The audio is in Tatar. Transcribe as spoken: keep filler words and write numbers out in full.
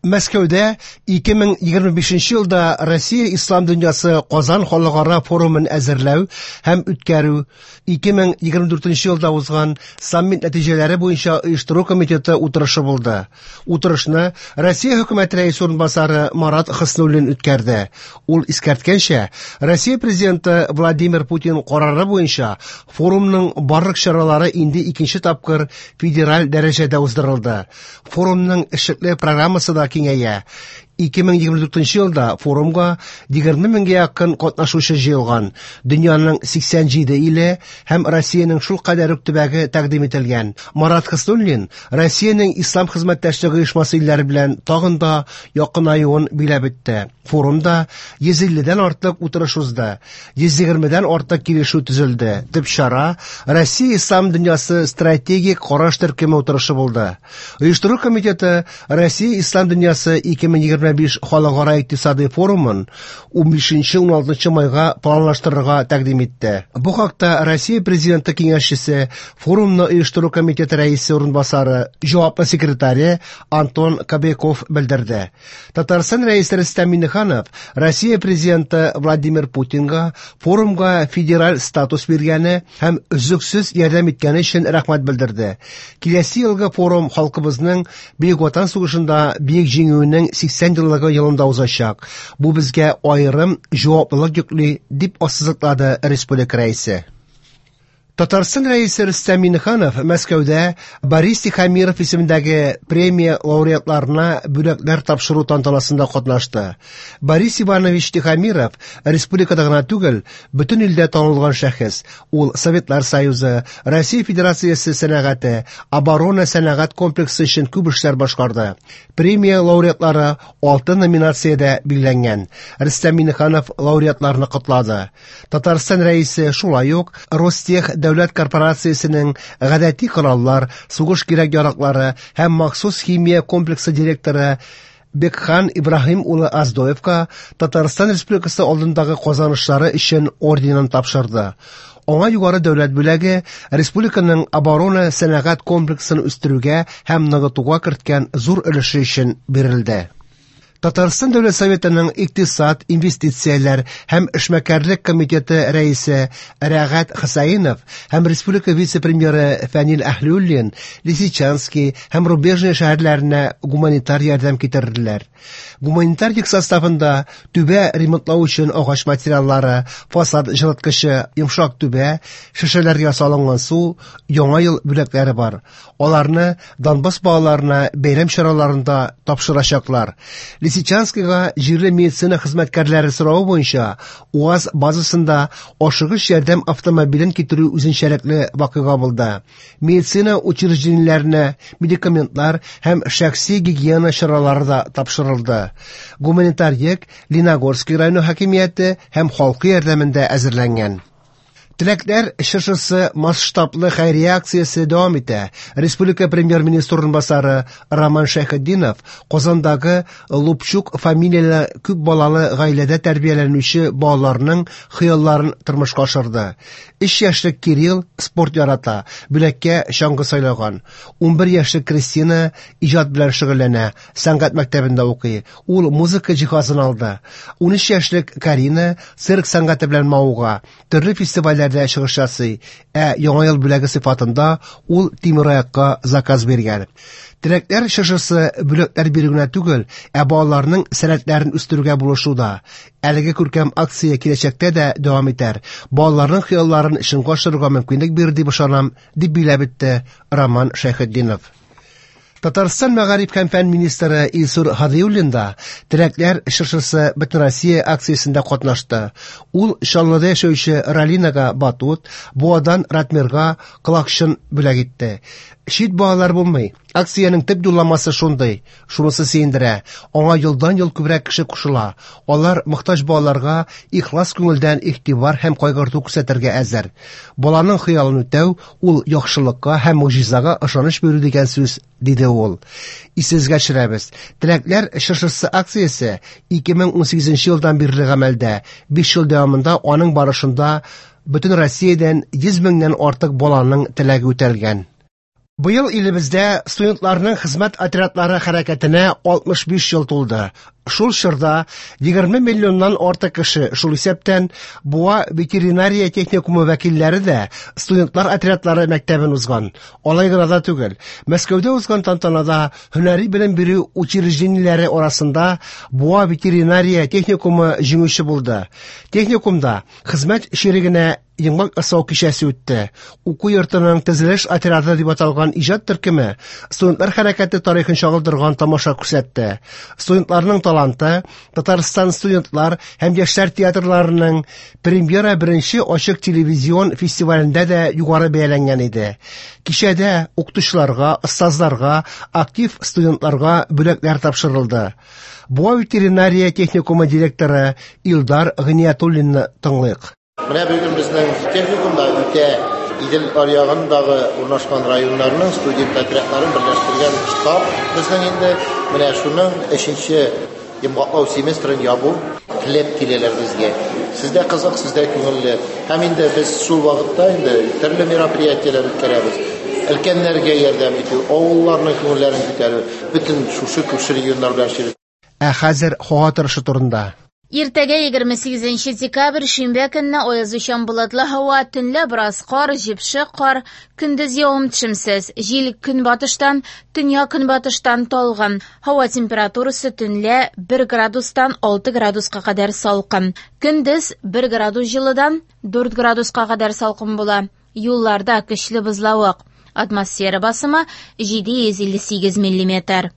Мәскәүдә ике мең егерме бишенче елда Россия Ислам дөньясы Казан халыкара форумын әзерләү һәм үткәрү, ике мең егерме дүртенче елда узган саммит нәтиҗәләре буенча оештыру комитеты утырышы булды. Утырышны Россия хөкүмәте рәисе урынбасары Марат Хөснуллин үткәрде. Ул искәрткәнчә, Россия президенты Владимир Путин карары буенча форумның барлык чаралары инде икенче тапкыр федераль дәрәҗәдә уздырылды. Форумның эшлекле программасы да киңәя. Ике мең егерме дүртенче елда форумга егерме меңгә якын катнашучы җыелган. Дөньяның сиксән җиде иле һәм Россиянең шул кадәр үк төбәге тәкъдим ителгән. Марат Хөснуллин Россиянең Ислам хезмәттәшлеге оешмасы илләре белән тагын да якынаюын биләп үтте. Форумда йөз илледән артык утырыш узды, йөз егермедән артык килешү төзелде. Төп чара Россия Ислам дөньясы стратегик караш төркеме утырышы булды. Оештыру комитеты Россия Ислам дөньясы ике мең егерме биш халыкара икътисади форумын унбишенче уналтынчы майга планлаштырырга тәкъдим итте. Бу хакта Россия президенты киңәшчесе, форумны оештыру комитеты рәисе урынбасары, җаваплы секретаре Антон Кобяков белдерде. Татарстан рәисе Рөстәм Миңнеханов Россия президенты Владимир Путинга форумга федераль статус биргәне һәм өзлексез ярдәм иткәне өчен рәхмәт белдерде. Киләсе елгы форум халкыбызның Бөек Ватан сугышында бөек җиңүенең сиксән еллыгы елында узачак. Бу безгә аерым җаваплылык йөкли, дип ассызыклады республика рәисе. Татарстан рәисе Рөстәм Миңнеханов Мәскәүдә Борис Тихомиров исемендәге премия лауреатларына бүләкләр тапшыру тантанасында катнашты. Борис Иванович Тихомиров республикада гына түгел, бөтен илдә танылган шәхес. Ул Советлар Союзы, Россия Федерациясе сәнәгате, оборона сәнәгать комплексы өчен күп эшләр башкарды. Премия лауреатлары алты номинациядә билгеләнгән. Рөстәм Миңнеханов лауреатларны котлады. Татарстан рәисе шулай ук Ростех дәүләт корпорациясенең гадәти кораллар, сугыш кирәк-яраклары һәм махсус химия комплексы директоры Бекхан Ибраһим улы Аздоевка Татарстан Республикасы алдындагы казанышлары өчен орденын тапшырды. Аңа югары дәүләт бүләге республиканың оборона сәнәгать комплексын үстерүгә һәм ныгытуга керткән зур өлеше өчен бирелде. Татарстан Дәүләт Советының икътисад, инвестицияләр һәм эшмәкәрлек комитеты рәисе Рәгать Хусаинов һәм республика вице-премьеры Фәнил Әһлиуллин Лисичанский һәм Рубежный шәһәрләренә гуманитар ярдәм китерделәр. Гуманитар йөк составында түбә ремонтлау өчен агач материаллары, фасад җылыткычы, йомшак түбә, шешәләргә салынган су, яңа ел бүләкләре бар. Аларны Донбасс балаларына бәйрәм чараларында тапшырачаклар. Лисичанскийга җирле медицина хезмәткәрләре соравы буенча УАЗ базасында ашыгыч ярдәм автомобилен китерү үзенчәлекле вакыйга булды. Медицина учреждениеләренә медикаментлар һәм шәхси гигиена чаралары да тапшырылды. Гуманитар йөк Лениногорский районы хакимияте һәм халкы ярдәмендә әзерләнгән. Теләкләр чыршысы масштаблы хәйрия акциясе дәвам итә. Республика премьер-министры урынбасары Роман Шәйхетдинов Казандагы Лупчук фамилияле күп балалы гаиләдә тәрбияләнүче балаларның хыялларын тормышка ашырды. Өч яшьлек Кирилл спорт ярата, бүләккә чаңгы сайлаган. Унбер яшьлек Кристина иҗат белән шөгыльләнә, сәнгать мәктәбендә укый. Ул музыка җиһазын алды. Унөч яшьлек Карина цирк сәнгате белән мавыга, төрле фестивальләрдә чыгыш ясый, ә яңа ел бүләге сыйфатында ул тимераякка заказ биргән. Теләкләр чыршысы бүләкләр бирү генә түгел, ә балаларның сәләтләрен үстерүгә булышу да. Әлеге күркәм акция киләчәктә дә дәвам итәр. Балаларның хыялларын чынга ашырырга мөмкинлек бирер дип ышанам, дип биләп үтте Роман Шәйхетдинов. Татарстан мәгариф һәм фән министры Илсур Һадиуллин да Теләкләр чыршысы Бөтенроссия акциясендә катнашты. Ул Чаллыда яшәүче Ралинага батут, Буадан Ратмирга колакчын бүләк итте. Чит балалар булмый. Акциянең төп юлламасы шундый, шунысы сөендерә. Аңа елдан-ел күбрәк кеше кушыла. Алар мохтаҗ балаларга ихлас күңелдән игътибар һәм кайгырту күрсәтергә әзер. Баланың хыялын үтәү ул яхшылыкка һәм могҗизага ышаныч бирү дигән сүз, диде ул. Исегезгә төшерәбез. Теләкләр чыршысы акциясе ике мең унсигезенче елдан бирле гамәлдә. Биш ел дәвамында аның барышында бөтен Россиядән йөз меңнән артык баланың теләге үтәлгән. Быел илебездә студентларның хезмәт отрядлары хәрәкәтенә алтмыш биш ел тулды. Шул чорда егерме миллионнан артык кеше, шул исәптән Буа ветеринария техникумы вәкилләре дә студентлар отрядлары мәктәбен узган. Алай гына да түгел, Мәскәүдә узган тантанада һөнәри белем бирү учреждениеләре арасында Буа ветеринария техникумы җиңүче булды. Техникумда хезмәт чирегенә йомгак ясау кичәсе үтте. Уку йортының төзелеш отряды дип аталган иҗат төркеме студентлар хәрәкәте тарихын чагылдырган тамаша күрсәтте. Студентларның таланты Татарстан студентлар һәм яшьләр театрларының премьера беренче ачык телевизион фестивалендә дә югары бәяләнгән иде. Кичәдә укытучыларга, остазларга, актив студентларга бүләкләр тапшырылды. Буа ветеринария техникумы директоры Илдар Гыниятуллинны тыңлыйк. Менә бүген безнең техникумда үтә Идел аръягындагы урнашкан районнарның студент отрядларын берләштергән штаб безнең инде менә шуның өченче йомгаклау семестрын ябу теләп киләләр безгә. Сездә кызык, сездә күңелле. Һәм инде без шул вакытта инде төрле мероприятиеләр үткәрәбез. Өлкәннәргә ярдәм итү, авылларның күңелләрен күтәрү, бөтен шушы күрше регионнар белән эшлибез. Ә хәзер һава торышы турында. Иртәгә егерме сигезенче декабрь шимбә көнне аязучан болытлы һава, төнлә бераз кар, җепшек кар, көндез явым-төшемсез, җил көнбатыштан, төньяк көнбатыштан талгын. Һава температурасы төнлә бер градустан алты градуска кадәр салкын. Көндез бер градус җылыдан дүрт градуска кадәр салкын була. Юлларда көчле бозлавык. Атмосфера басымы җиде йөз илле сигез миллиметр.